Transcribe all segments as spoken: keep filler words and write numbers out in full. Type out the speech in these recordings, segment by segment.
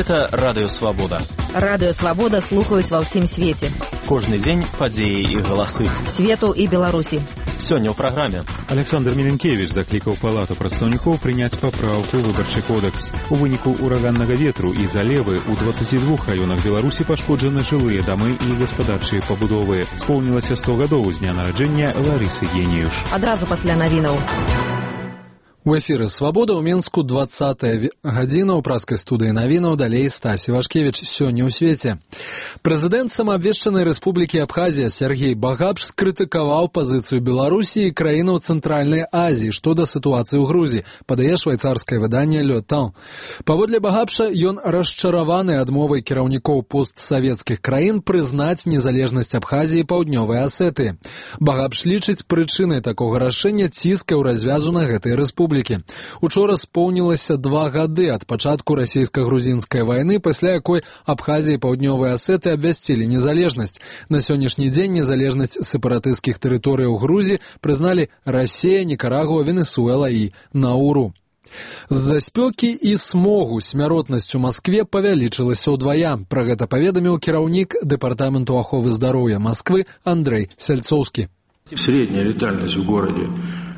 Гэта Радыё Свабода. Радыё Свабода слухаюць ва ўсім свеце. Кожны дзень падзеі і галасы. Свету і Беларусі. Сёння ў праграме. Александр Міленкевіч заклікаў палату прадстаўнікоў прыняць папраўку ў выбарчы кодекс. У выніку ураганнага ветру і залевы ў дваццаці двух раёнах Беларусі пашкоджаны жылыя дамы і гаспадарчыя пабудовы. Споўнілася сто гадоў з дня нараджэння Ларысы Геніюш. Адразу пасля навінаў. У эфіры «Свабода» ў Мінску дваццатая гадзіна ў праскай студыі навінаў, далей Стась Івашкевіч. Сёння ў свеце. Прэзідэнт самаабвешчанай рэспублікі Абхазія Сергей Багапш скрытыкаваў пазіцыю Беларусі і краінаў Цэнтральнай Азіі што да сітуацыі ў Грузіі, падае швайцарскае выданне «Le Temps». Паводле Багапша, ён расчараваны адмовай кіраўнікоў постсавецкіх краін прызнаць незалежнасць Абхазіі і Паўднёвай Асетыі. Багапш лічыць прычынай такога рашэння ціскаў развязу на гэтай рэспублікі. Учора споўнілася два гады ад пачатку расійска-грузінскай вайны, пасля якой Абхазія і Паўднёвая Асетыя абвясцілі незалежнасць. На сённяшні дзень незалежнасць сепаратысцкіх тэрыторый у Грузіі прызналі Расія, Нікарагуа, Венесуэла і Науру. З-за спёкі і смогу смяротнасць у Маскве павялічылася ўдвая. Пра гэта паведаміў кіраўнік дэпартаменту аховы здароўя Масквы Андрэй Сяльцоўскі. Средняя летальность в городе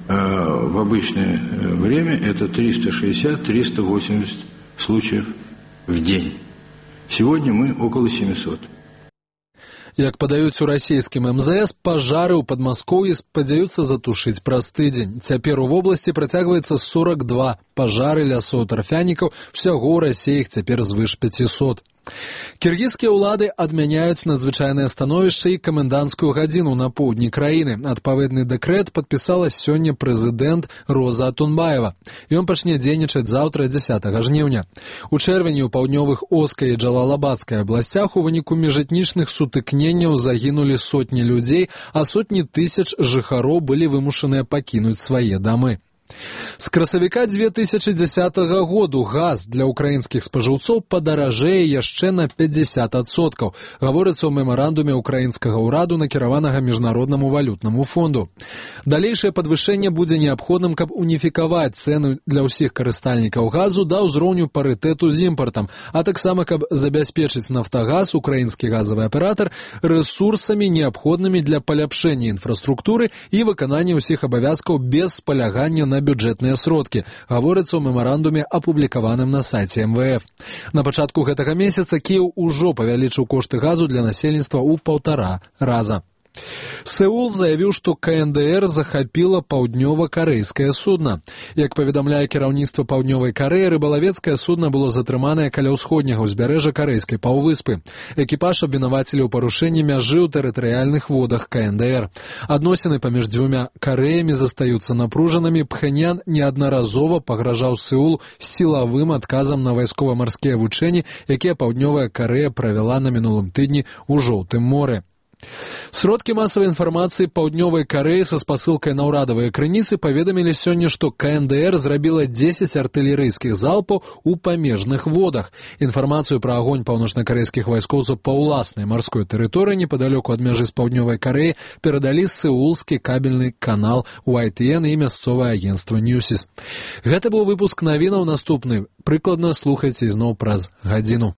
в обычное время это триста шестьдесят - триста восемьдесят случаев в день. Сегодня мы около семисот. Як падаюць у расійскім эм зэ эс, пажары ў Падмаскоўі спадзяюцца затушыць праз тыдзень. Цяпер у вобласці працягваецца сорок два пажары лясоў тарфянікаў, усяго ў Расіі іх цяпер звыш пяцісот. Кіргізскія ўлады адмяняюць надзвычайнае становішча і каменданцкую гадзіну на поўдні краіны. Адпаведны дэкрэт падпісала сёння прэзідэнт Роза Атунбаева. Ён пачне дзейнічаць заўтра, дзясятага жніўня. У чэрвені ў паўднёвых Оскай і Джалалабадскай абласцях у выніку міжэтнічных сутыкненняў загінулі сотні людзей, а сотні тысяч жыхароў былі вымушаныя пакінуць свае дамы. З красавіка дзве тысячы дзесятага году газ для ўкраінскіх спажыўцоў падаражэе яшчэ на пятьдесят адсоткаў, гаворыцца ў мемарандуме ўкраінскага ўраду, накіраванага міжнароднаму валютнаму фонду. Далейшае падвышэнне будзе неабходным, каб уніфікаваць цэны для ўсіх карыстальнікаў газу да ўзроўню парытэту з імпартам, а таксама каб забяспечыць «Нафтагаз», украінскі газавы аператар, рэсурсамі, неабходнымі для паляпшэння інфраструктуры і выканання ўсіх абавязкаў без спалягання на бюджэтныя сродкі, гаворыцца ў мемарандуме, апублікаваным на сайце эм вэ эф. На пачатку гэтага месяца Кіеў ужо павялічыў кошты газу для насельніцтва ў паўтара раза. Сеул заявіў, што ка эн дэ эр захапіла паўднёва-карэйскае судна. Як паведамляе кіраўніцтва Паўднёвай Карэі, рыбалавецкае судна было затрыманае каля ўсходняга ўзбярэжжа карэйскай паўвыспы. Экіпаж абвінавацілі ў парушэнні мяжы ў тэрытарыяльных водах ка эн дэ эр. Адносіны паміж дзвюма Карэямі застаюцца напружанымі. Пхенян неаднаразова пагражаў Сеул сілавым адказам на вайскова-марскія вучэнні, якія Паўднёвая Карэя правяла на мінулым тыдні ў Жоўтым моры. Сродкі масавай інфармацыі Паўднёвай Карэі са спасылкай на ўрадавыя крыніцы паведамілі сёння, што ка эн дэ эр зрабіла дзесяць артылерыйскіх залпаў у памежных водах. Інфармацыю пра агонь паўночнакарэйскіх вайскоўцаў па ўласнай марской тэрыторыі непадалёку ад мяжы з Паўднёвай Карэі перадалі сеулскі кабельны канал уай ти эн і мясцовае агенцтва Ньюсіс. Гэта быў выпуск навінаў. Наступны прыкладна слухайце ізноў праз гадзіну.